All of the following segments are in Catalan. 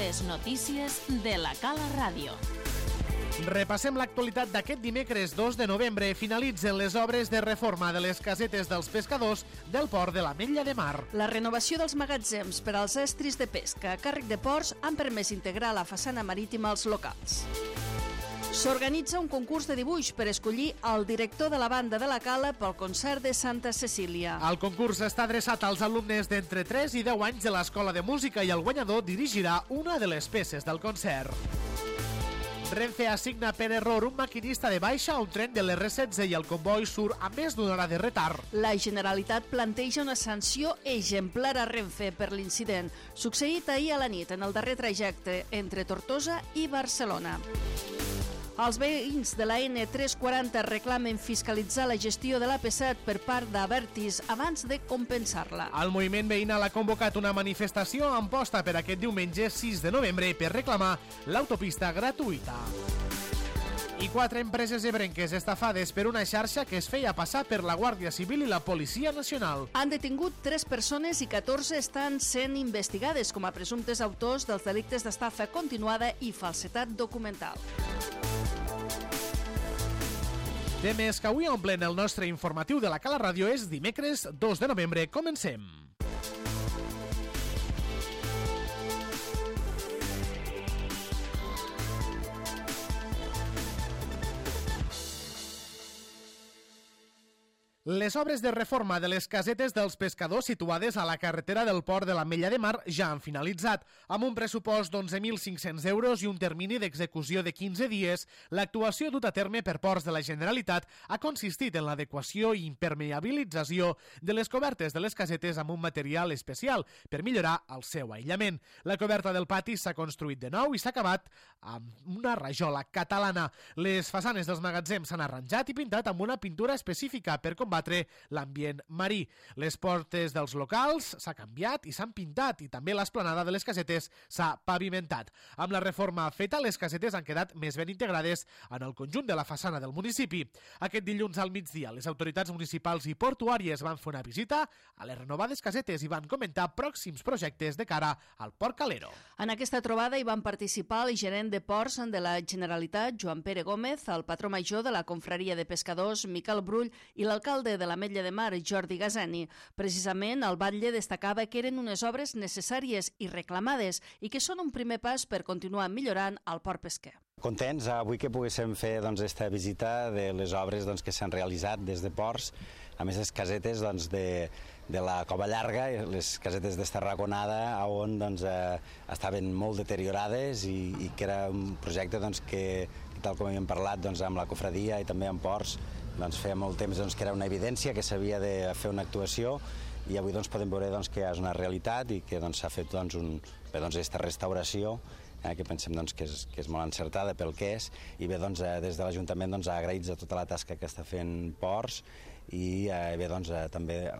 Les notícies de la Cala Ràdio. Repassem l'actualitat d'aquest dimecres 2 de novembre. Finalitzen les obres de reforma de les casetes dels pescadors del port de l'Ametlla de Mar. La renovació dels magatzems per als estris de pesca a càrrec de ports han permès integrar la façana marítima als locals. S'organitza un concurs de dibuix per escollir el director de la banda de la Cala pel concert de Santa Cecília. El concurs està adreçat als alumnes d'entre 3 i 10 anys de l'Escola de Música i el guanyador dirigirà una de les peces del concert. Renfe assigna per error un maquinista de baixa a un tren de l'R16 i el comboi surt amb més d'una hora de retard. La Generalitat planteja una sanció exemplar a Renfe per l'incident succeït ahir a la nit en el darrer trajecte entre Tortosa i Barcelona. Els veïns de la N340 reclamen fiscalitzar la gestió de l'AP7 per part d'Abertis abans de compensar-la. El moviment veïnal ha convocat una manifestació en posta per aquest diumenge 6 de novembre per reclamar l'autopista gratuïta. I 4 empreses ebrenques estafades per una xarxa que es feia passar per la Guàrdia Civil i la Policia Nacional. Han detingut 3 persones i 14 estan sent investigades com a presumptes autors dels delictes d'estafa continuada i falsetat documental. Temes que avui omplen el nostre informatiu de la Cala Ràdio. És dimecres 2 de novembre. Comencem. Les obres de reforma de les casetes dels pescadors situades a la carretera del port de l'Ametlla de Mar ja han finalitzat. Amb un pressupost d'11.500 euros i un termini d'execució de 15 dies, l'actuació dut a terme per Ports de la Generalitat ha consistit en l'adequació i impermeabilització de les cobertes de les casetes amb un material especial per millorar el seu aïllament. La coberta del pati s'ha construït de nou i s'ha acabat amb una rajola catalana. Les façanes dels magatzems s'han arranjat i pintat amb una pintura específica per combatre l'ambient marí. Les portes dels locals s'ha canviat i s'han pintat i també l'esplanada de les casetes s'ha pavimentat. Amb la reforma feta, les casetes han quedat més ben integrades en el conjunt de la façana del municipi. Aquest dilluns al migdia, les autoritats municipals i portuàries van fer una visita a les renovades casetes i van comentar pròxims projectes de cara al Port Calero. En aquesta trobada hi van participar el gerent de Ports de la Generalitat, Joan Pere Gómez, el patró major de la Confraria de Pescadors, Miquel Brull, i l'alcalde de l'Ametlla de Mar, Jordi Gazani. Precisament, el batlle destacava que eren unes obres necessàries i reclamades i que són un primer pas per continuar millorant el port pesquer. Contents avui que poguéssim fer esta visita de les obres que s'han realitzat des de Ports, a més les casetes de la Cova Llarga, les casetes d'Estarraconada, on estaven molt deteriorades i que era un projecte que, tal com havíem parlat amb la cofradia i també amb Ports, feia molt temps que era una evidència que s'havia de fer una actuació i avui podem veure que és una realitat i que s'ha fet aquesta restauració que pensem que és molt encertada pel que és i bé, des de l'Ajuntament agraïts a tota la tasca que està fent Ports i bé, també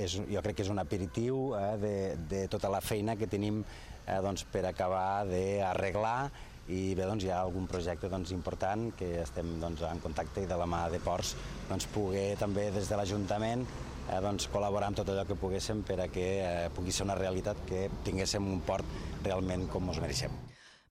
jo crec que és un aperitiu de tota la feina que tenim per acabar d'arreglar i bé, hi ha algun projecte important que estem en contacte i de la mà de Ports poder també des de l'Ajuntament col·laborar amb tot allò que poguéssim per a que pugui ser una realitat que tinguéssim un port realment com ens mereixem.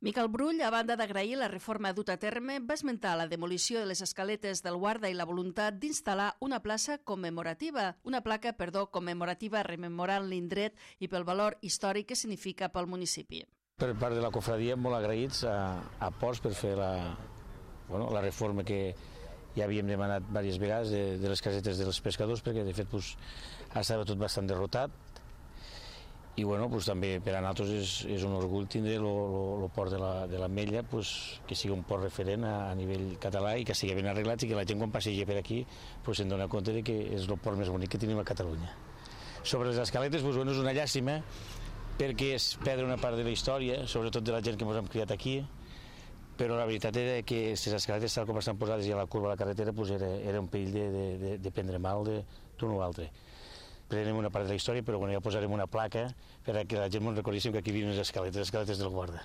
Miquel Brull, a banda d'agrair la reforma duta a terme, va esmentar la demolició de les escaletes del Guarda i la voluntat d'instal·lar una placa commemorativa rememorant l'indret i pel valor històric que significa pel municipi. Per part de la cofradia, molt agraïts a Ports per fer la reforma que ja havíem demanat diverses vegades de les casetes dels pescadors, perquè de fet estava tot bastant derrotat i també per a nosaltres és un orgull tindre el port de l'Ametlla que sigui un port referent a nivell català i que sigui ben arreglat i que la gent quan passeja per aquí se'n dona compte que és el port més bonic que tenim a Catalunya. Sobre les escaletes és una llàstima perquè és perdre una part de la història, sobretot de la gent que ens hem criat aquí, però la veritat era que les escaletes tal com estan posades i a la curva de la carretera era un perill de prendre mal d'un o altre. Prenem una part de la història, però ja posarem una placa per a que la gent ens recordéssim que aquí viuen les escaletes del Guarda.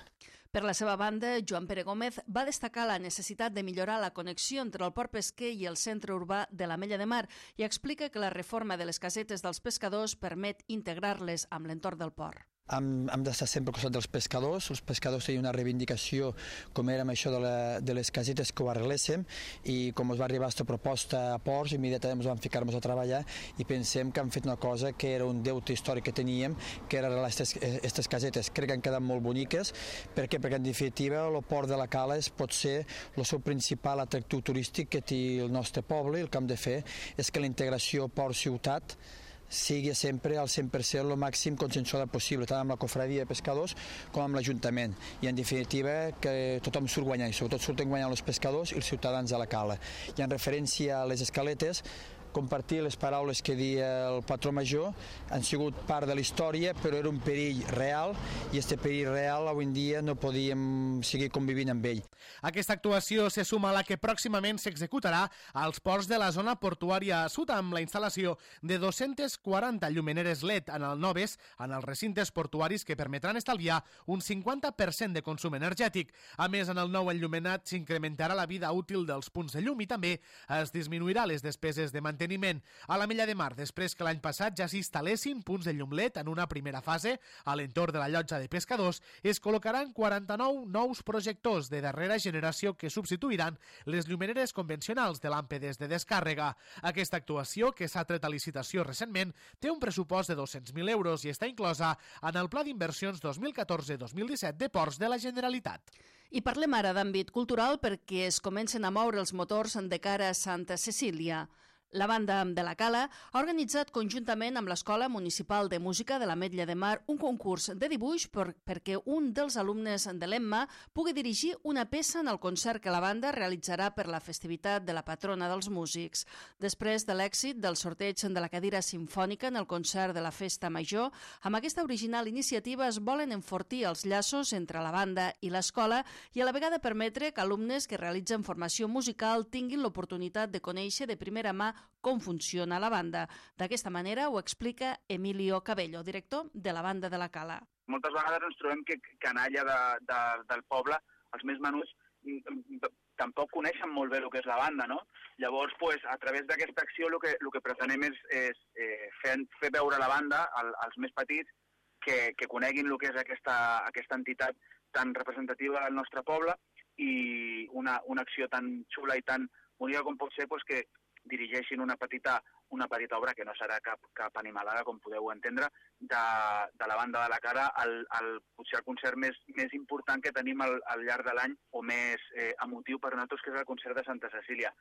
Per la seva banda, Joan Pere Gómez va destacar la necessitat de millorar la connexió entre el port pesquer i el centre urbà de l'Ametlla de Mar i explica que la reforma de les casetes dels pescadors permet integrar-les amb l'entorn del port. hem d'estar sempre al costat dels pescadors. Els pescadors tenien una reivindicació, com era amb això de les casetes, que ho arregléssim, i com ens va arribar aquesta proposta a Ports, immediatament ens vam ficar-nos a treballar i pensem que hem fet una cosa que era un deute històric que teníem, que era arreglar aquestes casetes. Crec que han quedat molt boniques. Per què? Perquè en definitiva el port de la Cala pot ser el seu principal atractiu turístic que té el nostre poble, i el que hem de fer és que la integració port-ciutat sigui sempre al 100% el màxim consensuada possible, tant amb la cofradia de pescadors com amb l'Ajuntament. I en definitiva que tothom surt guanyant, i sobretot surten guanyant els pescadors i els ciutadans de la Cala. I en referència a les escaletes, compartir les paraules que deia el patró major, han sigut part de la història, però era un perill real, i aquest perill real avui en dia no podíem seguir convivint amb ell. Aquesta actuació se suma a la que pròximament s'executarà als ports de la zona portuària sud, amb la instal·lació de 240 llumeneres LED en el noves en els recintes portuaris, que permetran estalviar un 50% de consum energètic. A més, en el nou enllumenat s'incrementarà la vida útil dels punts de llum i també es disminuirà les despeses de manteniment. A la Mella de Mar, després que l'any passat ja s'instal·lessin punts de llum LED en una primera fase a l'entorn de la llotja de pescadors, es col·locaran 49 nous projectors de darrera generació que substituiran les llumeneres convencionals de làmpedes de descàrrega. Aquesta actuació, que s'ha tret a licitació recentment, té un pressupost de 200.000 euros i està inclosa en el Pla d'Inversions 2014-2017 de Ports de la Generalitat. I parlem ara d'àmbit cultural perquè es comencen a moure els motors de cara a Santa Cecília. La banda de la Cala ha organitzat conjuntament amb l'Escola Municipal de Música de l'Ametlla de Mar un concurs de dibuix perquè un dels alumnes de l'Emma pugui dirigir una peça en el concert que la banda realitzarà per la festivitat de la patrona dels músics. Després de l'èxit del sorteig de la cadira simfònica en el concert de la Festa Major, amb aquesta original iniciativa es volen enfortir els llaços entre la banda i l'escola i a la vegada permetre que alumnes que realitzen formació musical tinguin l'oportunitat de conèixer de primera mà com funciona la banda. D'aquesta manera ho explica Emilio Cabello, director de la banda de la Cala. Moltes vegades ens trobem que canalla del poble, els més menuts, tampoc coneixen molt bé el que és la banda, no? Llavors, a través d'aquesta acció el que pretenem és fer veure la banda als més petits que coneguin el que és aquesta entitat tan representativa del nostre poble, i una acció tan xula i tan bonica com pot ser que dirigeixin una petita obra, que no serà cap animalada, com podeu entendre, de la banda de la Cala, potser el concert més important que tenim al llarg de l'any, o més emotiu per nosaltres, que és el concert de Santa Cecília.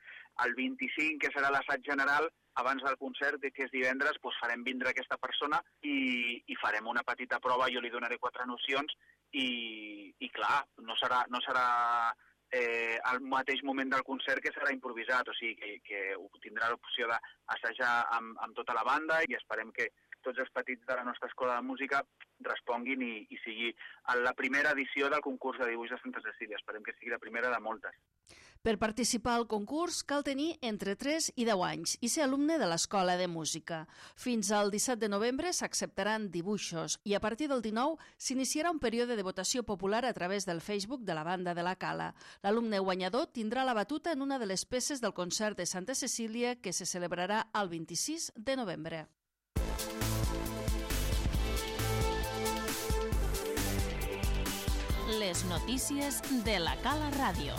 El 25, que serà l'assaig general, abans del concert, que és divendres, farem vindre aquesta persona i farem una petita prova. Jo li donaré 4 nocions i clar, no serà al mateix moment del concert que serà improvisat, o sigui que tindrà l'opció d'assajar amb tota la banda, i esperem que tots els petits de la nostra escola de música responguin i sigui la primera edició del concurs de dibuix de Santa Cecília. Esperem que sigui la primera de moltes. Per participar al concurs cal tenir entre 3 i 10 anys i ser alumne de l'Escola de Música. Fins al 17 de novembre s'acceptaran dibuixos i a partir del 19 s'iniciarà un període de votació popular a través del Facebook de la banda de la Cala. L'alumne guanyador tindrà la batuta en una de les peces del concert de Santa Cecília que se celebrarà el 26 de novembre. Les notícies de la Cala Ràdio.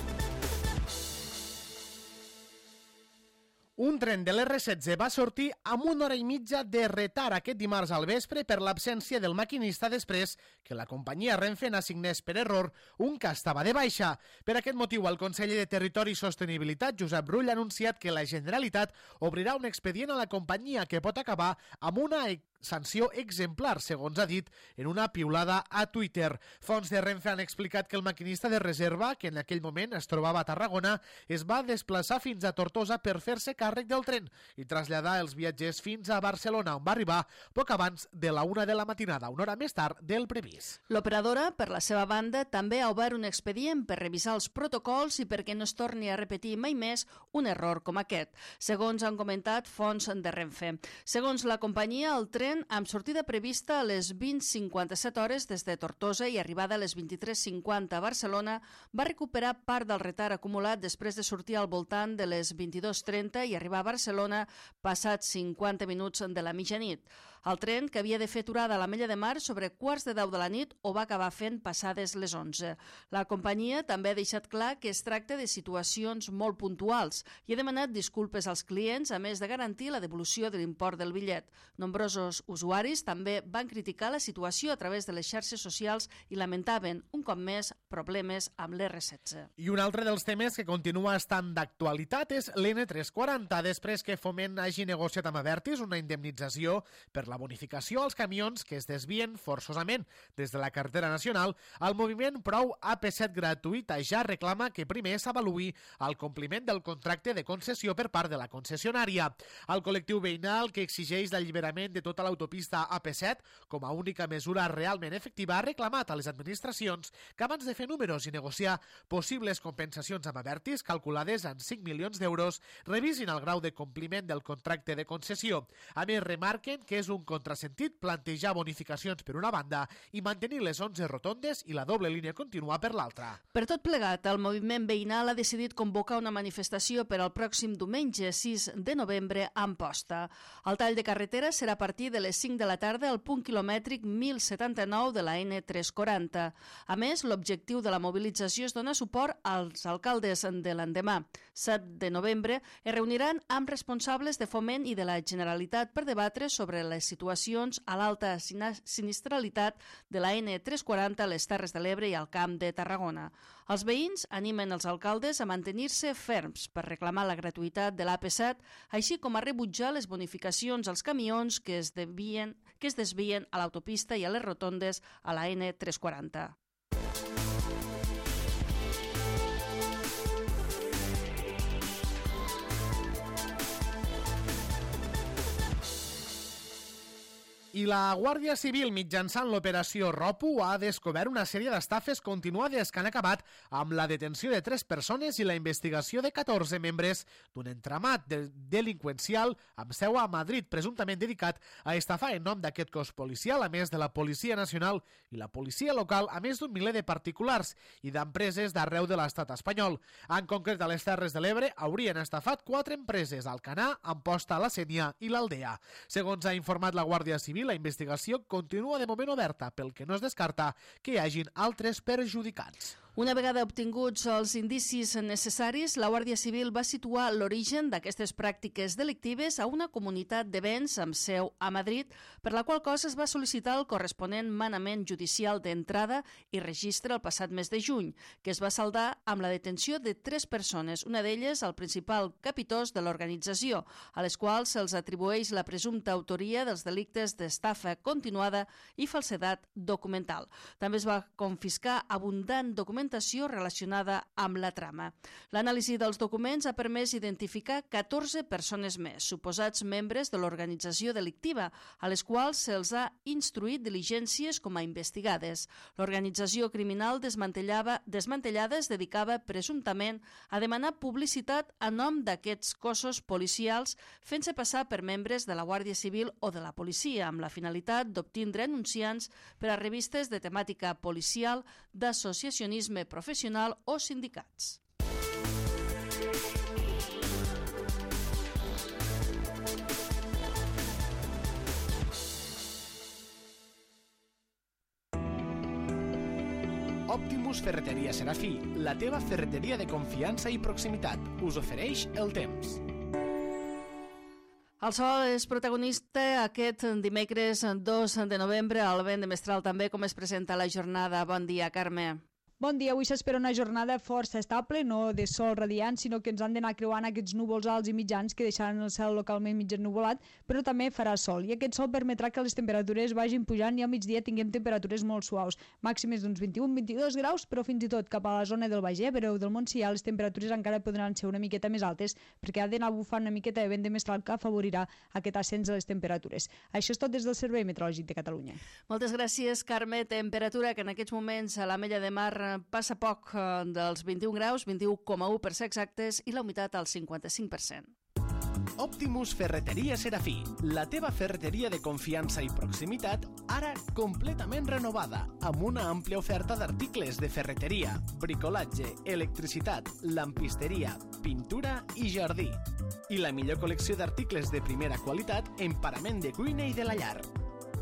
Un tren de l'R16 va sortir amb 1 hora i mitja de retard aquest dimarts al vespre per l'absència del maquinista després que la companyia Renfe n'assignés per error un que estava de baixa. Per aquest motiu, el conseller de Territori i Sostenibilitat, Josep Rull, ha anunciat que la Generalitat obrirà un expedient a la companyia que pot acabar amb una sanció exemplar, segons ha dit en una piulada a Twitter. Fonts de Renfe han explicat que el maquinista de reserva, que en aquell moment es trobava a Tarragona, es va desplaçar fins a Tortosa per fer-se càrrec del tren i traslladar els viatgers fins a Barcelona, on va arribar poc abans de la 1 de la matinada, una hora més tard del previst. L'operadora, per la seva banda, també ha obert un expedient per revisar els protocols i perquè no es torni a repetir mai més un error com aquest, segons han comentat fonts de Renfe. Segons la companyia, el tren amb sortida prevista a les 20:57 hores des de Tortosa i arribada a les 23:50 a Barcelona va recuperar part del retard acumulat després de sortir al voltant de les 22:30 i arribar a Barcelona passats 50 minuts de la mitjanit. El tren, que havia de fer aturada a l'Ametlla de Mar sobre 10:15 de la nit, ho va acabar fent passades les 11. La companyia també ha deixat clar que es tracta de situacions molt puntuals i ha demanat disculpes als clients, a més de garantir la devolució de l'import del bitllet. Nombrosos usuaris també van criticar la situació a través de les xarxes socials i lamentaven, un cop més, problemes amb l'R16. I un altre dels temes que continua estant d'actualitat és l'N340, després que Foment hagi negociat amb Abertis una indemnització per la bonificació als camions que es desvien forçosament des de la carretera nacional. El moviment Prou AP7 gratuïta ja reclama que primer s'avaluï el compliment del contracte de concessió per part de la concessionària. El col·lectiu veïnal, que exigeix l'alliberament de tota l'autopista AP7 com a única mesura realment efectiva, ha reclamat a les administracions que abans de fer números i negociar possibles compensacions amb Abertis, calculades en 5 milions d'euros, revisin el grau de compliment del contracte de concessió. A més, remarquen que és un contrasentit plantejar bonificacions per una banda i mantenir les 11 rotondes i la doble línia contínua per l'altra. Per tot plegat, el moviment veïnal ha decidit convocar una manifestació per al pròxim diumenge 6 de novembre a Amposta. El tall de carretera serà a partir de les 5 de la tarda al punt quilomètric 1079 de la N340. A més, l'objectiu de la mobilització és donar suport als alcaldes de l'endemà. 7 de novembre es reuniran amb responsables de Foment i de la Generalitat per debatre sobre les situacions a l'alta sinistralitat de la N340 a les Terres de l'Ebre i al Camp de Tarragona. Els veïns animen els alcaldes a mantenir-se ferms per reclamar la gratuïtat de l'AP7, així com a rebutjar les bonificacions als camions que es desvien a l'autopista i a les rotondes a la N340. I la Guàrdia Civil, mitjançant l'operació ROPU, ha descobert una sèrie d'estafes continuades que han acabat amb la detenció de 3 persones i la investigació de 14 membres d'un entramat delinqüencial amb seu a Madrid, presumptament dedicat a estafar en nom d'aquest cos policial, a més de la Policia Nacional i la policia local, a més d'un miler de particulars i d'empreses d'arreu de l'estat espanyol. En concret, a les Terres de l'Ebre haurien estafat 4 empreses: Alcanar, Amposta, La Sénia i l'Aldea. Segons ha informat la Guàrdia Civil, la investigació continua de moment oberta, pel que no es descarta que hi hagin altres perjudicats. Una vegada obtinguts els indicis necessaris, la Guàrdia Civil va situar l'origen d'aquestes pràctiques delictives a una comunitat de béns amb seu a Madrid, per la qual cosa es va sol·licitar el corresponent manament judicial d'entrada i registre el passat mes de juny, que es va saldar amb la detenció de 3 persones, una d'elles el principal capitós de l'organització, a les quals se'ls atribueix la presumpta autoria dels delictes d'estafa continuada i falsedat documental. També es va confiscar abundant documentació relacionada amb la trama. L'anàlisi dels documents ha permès identificar 14 persones més, suposats membres de l'organització delictiva, a les quals se'ls ha instruït diligències com a investigades. L'organització criminal desmantellada es dedicava presumptament a demanar publicitat a nom d'aquests cossos policials, fent-se passar per membres de la Guàrdia Civil o de la policia, amb la finalitat d'obtindre anunciants per a revistes de temàtica policial, d'associacionisme professional o sindicats. Optimus Ferreteria Serafí, la teva ferreteria de confiança i proximitat, us ofereix el temps. El sol és protagonista aquest dimecres 2 de novembre. Al vent de mestral també, com es presenta la jornada. Bon dia, Carme. Bon dia, avui s'espera una jornada força estable, no de sol radiant, sinó que ens han d'anar creuant aquests núvols alts i mitjans que deixaran el cel localment mig ennuvolat, però també farà sol. I aquest sol permetrà que les temperatures vagin pujant i al migdia tinguem temperatures molt suaus, màximes d'uns 21-22 graus, però fins i tot cap a la zona del Baix Ebre o del Montsià les temperatures encara podran ser una miqueta més altes, perquè ha d'anar bufant una miqueta de vent de mestral que afavorirà aquest ascens de les temperatures. Això és tot des del Servei Meteorològic de Catalunya. Moltes gràcies, Carme. Temperatura que en aquests moments a l'Ametlla de Mar passa poc dels 21 graus, 21,1 per ser exactes, i la humitat al 55%. Optimus Ferreteria Serafí, la teva ferreteria de confiança i proximitat, ara completament renovada, amb una àmplia oferta d'articles de ferreteria, bricolatge, electricitat, lampisteria, pintura i jardí. I la millor col·lecció d'articles de primera qualitat en parament de cuina i de la llar.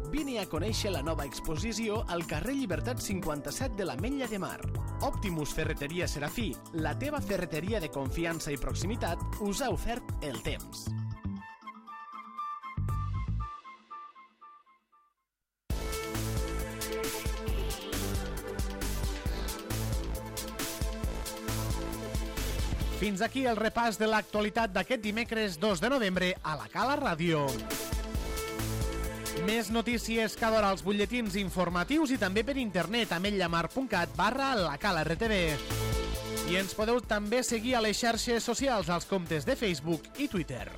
Vine a conèixer la nova exposició al carrer Llibertat 57 de l'Ametlla de Mar. Optimus Ferreteria Serafí, la teva ferreteria de confiança i proximitat, us ha ofert el temps. Fins aquí el repàs de l'actualitat d'aquest dimecres 2 de novembre a la Cala Ràdio. Més notícies cada hora als butlletins informatius i també per internet a ametlllamar.cat/lacalartv. I ens podeu també seguir a les xarxes socials als comptes de Facebook i Twitter.